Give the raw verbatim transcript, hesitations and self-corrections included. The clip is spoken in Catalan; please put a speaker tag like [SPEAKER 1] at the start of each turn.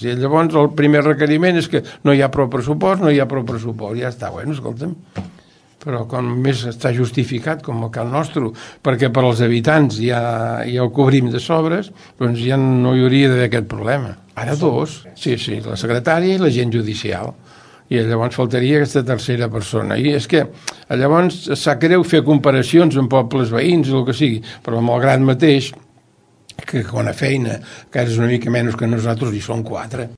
[SPEAKER 1] I llavors el primer requeriment és que no hi ha prou pressupost, no hi ha prou pressupost, ja està, bueno, escolta'm. Però com més està justificat, com el cas nostre, perquè per als habitants ja, ja ho cobrim de sobres, doncs ja no hi hauria d'haver aquest problema. Ara dos, sí, sí, la secretària i l'agent judicial. I llavors faltaria aquesta tercera persona. I és que llavors sap greu fer comparacions amb pobles veïns o el que sigui, però malgrat mateix, que quan a feina, que és una mica menys que nosaltres, hi són quatre.